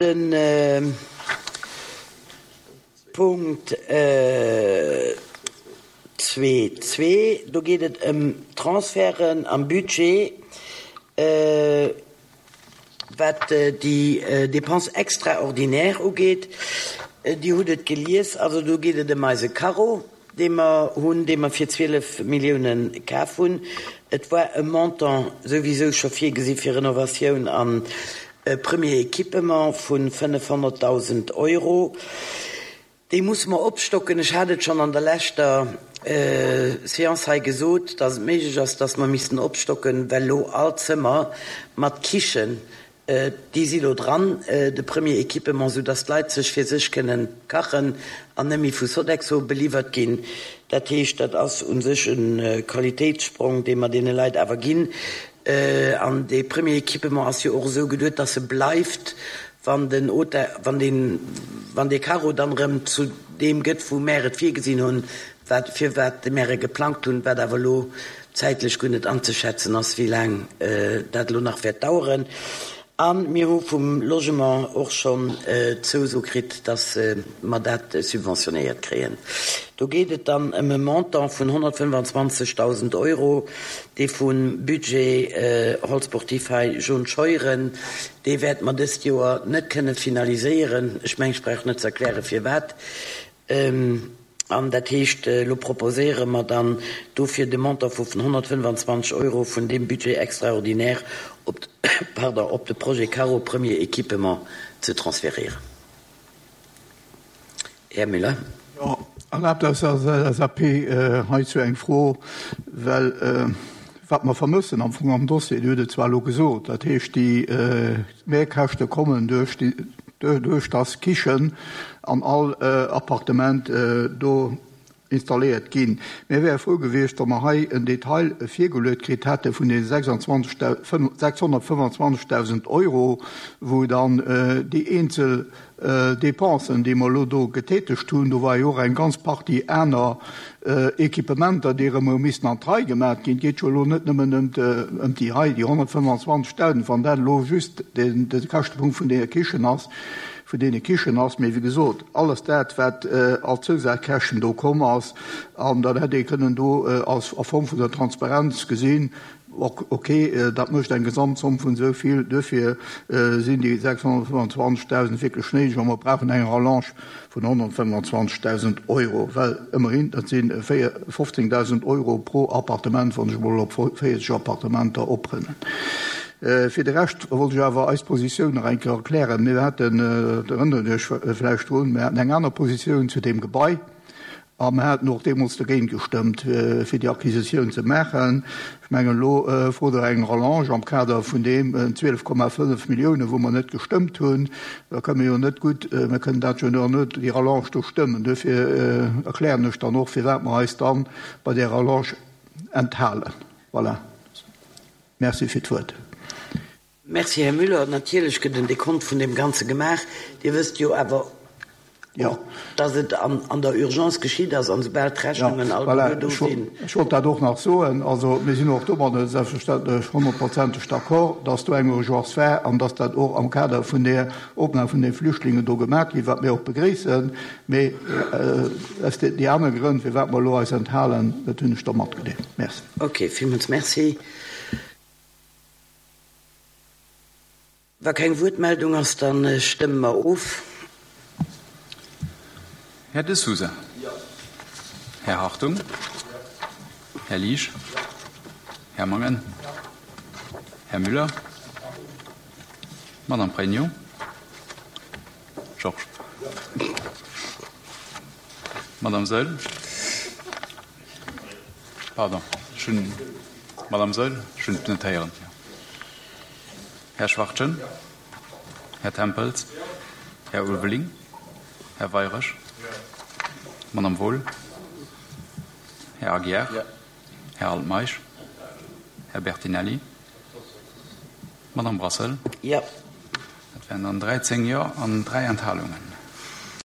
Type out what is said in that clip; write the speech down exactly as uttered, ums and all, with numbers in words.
De Punkt zwee zwee, do geet et ëm Transferten am Budget, wat déi Dépenses extraordinaires ugeet. Dir hutt et gelies, also do geet et ëm eise Carro, dee mer hunn, dee mer fir zwielef Milliounen kaf hunn. Et war e Montant souwisou scho virgesi fir Renovatioun an premier Équipement vu fënnefhonnertdausend Euro. Déi musse mer opstocken. Ech hat et schonn an der leschter Séance hei gesot, dass et méiglech ass, dass mer missten opstocken, well elo all Zëmmer mat Kichen, déi si lo dran, de premier Équipement, soudass d'Leit sech fir sech kënnen kachen an net méi vu Sodexo beliwwert ginn. Dat heescht, dat ass u sech e Qualitéitssprong, dee mer deene Leit awer ginn. An dee premier Équipement ass jo och esou geduet, dass e bleift, wann den Hotel, wann deen, wann dee Carro dann erëm zu deem gëtt, wou mär et virgesinn hunn, wat, fir wat mär e geplangt hunn, wat awer elo zäitlech guer net anzeschätzen ass, wéi laang dat elo nach wäert daueren. A mir hu vum Logement och schonn d'Zouso kritt, dass mer dat subventionéiert kréien. Do geet et dann ëm e Montant vun honnertfënnefanzwanzegdausend Euro, dee vum Budget Hall sportif hei Jaune Scheuren, dee wäerte mer dëst Joer net kënne finaliséieren. Ech mengen, ech brauch net ze erklären, firwat. An dat heescht, elo proposéiere mer dann dofir de Montant vu honnertfënnefanzwanzeg Euro vun deem Budget extraordinaire op, pardon, op de Projet Carro Premier Équipement ze transférieren. Här Müller. Jo, erlaabt eis als L S A P heizou eng Fro, well wat mer vermëssen am Fong am Dossier, Dir hutt et zwar elo gesot, dat heescht, déi Mehrkäschte kommen duerch déi, duerch dass Kichen an all Appartement do installéiert ginn. Mir wäre frou gewiescht, wa mer hei en Detail virgeluecht kritt hätte vun den sechshonnertfënnefanzwanzegdausend Euro, wou dann déi eenzel Dépensen, déi mer elo do getätegt hunn, do war jo och eng ganz Partie aner Equipementer, déi erëm hu missen an d'Rei gemaach ginn. Et geet jo elo net nëmmen ëm ëm déi hei, déi honnertfënnefanzwanzegdausend, wann dat elo just de de Käschtepunkt vun deene Kichen ass, vun deene Kichen ass, mee wéi gesot, alles dat, wat als Zousazkäschten do komm ass, an dann hätt ee kënnen do als a Form vun der Transparenz gesinn, ok, dat mécht eng Gesamtzomm vun esou vill, duerfir sinn déi sechshonnertfënnefanzwanzegdausend wierklech néideg a mer brauchen eng Rallonge vun honnertfënnefanzwanzegdausend Euro, well ëmmerhin, dat si fofzéngdausend Euro pro Appartement, wann ech emol op véierzeg Appartementer oprënnen. Fir de Rescht wollt ech awer eis Positioun nach eng Kéier erklären. Mir haten, der erënnert Iech vläicht drun, mir haten eng aner Positioun zu deem Gebai a mir haten och deemools dogéint gestëmmt, fir déi Acquisitioun ze maachen. Ech mengen, elo frot Der eng Rallonge am Kader vun deem zwielef Komma fënnef Milliounen, wou mer net gestëmmt hunn. Da kënne mir jo net gutt, mir kënnen dat jo net, déi Rallonge do stëmmen. Duerfir erklären ech dann och, firwat mer eis dann bei där Rallonge enthalen. Voilà. Merci fir d'Wuert. Merci, Här Müller. Natierlech gëtt en Dekont vun deem Ganze gemaach. Dir wësst jo awer och, dass et an der Urgence geschitt ass an soubal d'Rechnungen alleguer do sinn. Ech wollt dat och nach soen. Also mir sinn och domadder selbstverständlech honnertprozenteg d'accord, dass do eng Urgence war an dass dat och am Kader vun där Opnam vun de Flüchtlingen do gemaach ginn, wat mir och begréissen. Mee aus déi aner Grënn, firwat mer elo eis enthalen, dat hunn ech da matgedeelt. Merci. Okay, villmools merci. Wa keng Wuertmeldung ass, da stëmme mer of. Här De Sousa. Här Hartung. Här Liesch. Här Mangen. Här Müller. Madame Pregno. Georges. Madame Saeul. Pardon, ech hunn, Madame Saeul, ech hunn et net héieren. Här Schwachtgen. Här Tempels. Här Ulveling. Här Weirich. Madame Wohl. Här Aguiar. Här Altmeisch. Här Bertinelli. Madame Brassel. Jo. Dat wären dann dräizéng Jo an dräi Enthalungen.